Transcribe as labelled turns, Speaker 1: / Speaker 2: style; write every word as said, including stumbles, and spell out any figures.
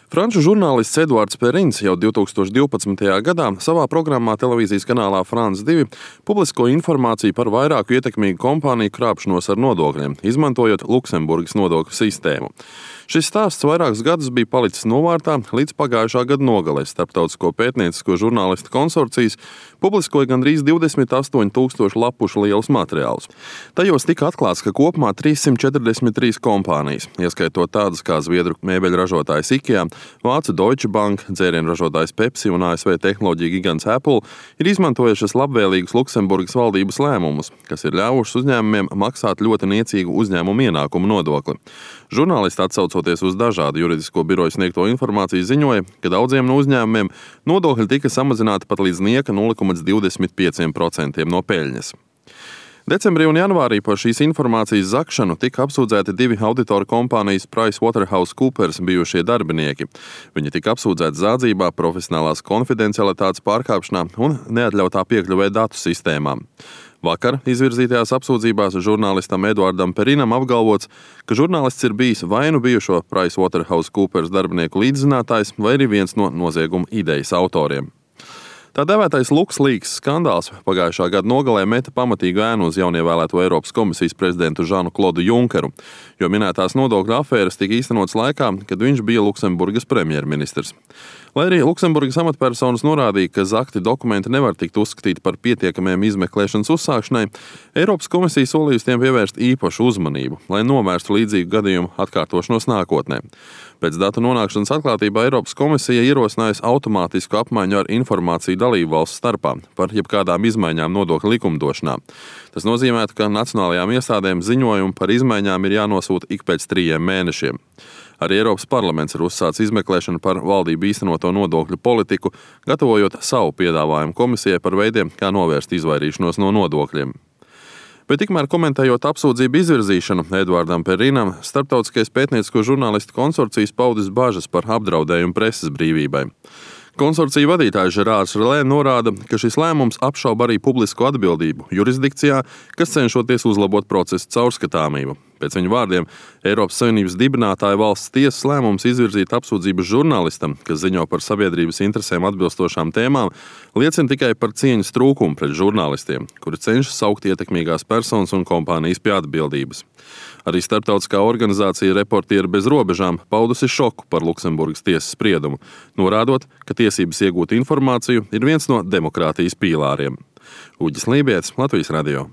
Speaker 1: Franču žurnālists Eduards Perins jau divtūkstoš divpadsmitajā gadā savā programmā televīzijas kanālā France divi publiskoja informāciju par vairāku ietekmīgu kompāniju krāpšanos ar nodokļiem, izmantojot Luksemburgas nodokļu sistēmu. Šis stāsts vairākus gadus bija palicis novārtā, līdz pagājušā gada nogalē Starptautisko pētniecisko žurnālistu konsorcijas publiskoja gandrīz divdesmit astoņu tūkstošu lapušu lielus materiālus. Tajos tika atklāts, ka kopumā trīssimt četrdesmit trīs kompānijas, ieskaitot tādas kā zviedru mēbeļu ražotājs IKEA, Vācu Deutsche Bank, dzērienu ražotājs Pepsi un A S V tehnoloģiju gigants Apple, ir izmantojušas labvēlīgus Luksemburgas valdības lēmumus, kas ir ļāvušas uzņēmumiem maksāt ļoti niecīgu uzņēmumu ienākumu nodokli. Žurnālisti, atsaucoties uz dažādu juridisko biroju sniegto informāciju, ziņoja, ka daudziem no uzņēmumiem nodokļi tika samazināti pat līdz nieka nulle komats divdesmit pieci procenti no peļņas. Decembrī un janvārī par šīs informācijas zakšanu tika apsūdzēti divi auditoru kompānijas PricewaterhouseCoopers bijušie darbinieki. Viņi tika apsūdzēti zādzībā, profesionālās konfidencialitātes pārkāpšanā un neatļautā piekļuvē datu sistēmām. Vakar izvirzītajās apsūdzībās žurnālistam Eduardam Perinam apgalvots, ka žurnālists ir bijis vai nu bijušo PricewaterhouseCoopers darbinieku līdzzinātājs, vai arī viens no nozieguma idejas autoriem. Tā dēvētais LuxLeaks skandāls pagājušā gada nogalē meta pamatīgu ēnu uz jaunievēlēto Eiropas komisijas prezidentu Žanu Klodu Junkeru, jo minētās nodokļu afēras tika īstenotas laikā, kad viņš bija Luksemburgas premjerministrs. Lai arī Luksemburgas amatpersonas norādīja, ka zakti dokumenti nevar tikt uzskatīti par pietiekamiem izmeklēšanas uzsākšanai, Eiropas komisija solījusi tiem pievērst īpašu uzmanību, lai novērstu līdzīgu gadījumu atkārtošanos nākotnē. Pēc datu nonākšanas atklātībā Eiropas komisija ierosinājusi automātisku apmaiņu ar informāciju dalību valstu starpā par jebkādām izmaiņām nodokļu likumdošanā. Tas nozīmē, ka nacionālajām iestādēm ziņojumi par izmaiņām ir jānosūta ik pēc trījiem mēnešiem. Arī Eiropas parlaments ir uzsācis izmeklēšanu par valdību īstenoto nodokļu politiku, gatavojot savu piedāvājumu komisijai par veidiem, kā novērst izvairīšanos no nodokļiem. Bet tikmēr komentējot apsūdzību izvirzīšanu Eduardam Perinam, Starptautiskais pētniecisko žurnālistu konsorcijas paudis bažas par apdraudējumu preses brīvībai. Konsorcija vadītājs Žerārs Relē norāda, ka šis lēmums apšauba arī publisko atbildību jurisdikcijā, kas cenšoties uzlabot procesu caurskatāmību. Pēc viņa vārdiem, Eiropas Savienības dibinātāja valsts tiesas lēmums izvirzīt apsūdzību žurnālistam, kas ziņo par sabiedrības interesēm atbilstošām tēmām, liecina tikai par cieņas trūkumu pret žurnālistiem, kuri cenšas saukt ietekmīgās personas un kompānijas pie atbildības. Arī starptautiskā organizācija Reportieri bez robežām paudusi šoku par Luksemburgas tiesas spriedumu, norādot, ka tiesības iegūt informāciju ir viens no demokrātijas pīlāriem. Uģis Lībietis, Latvijas radio.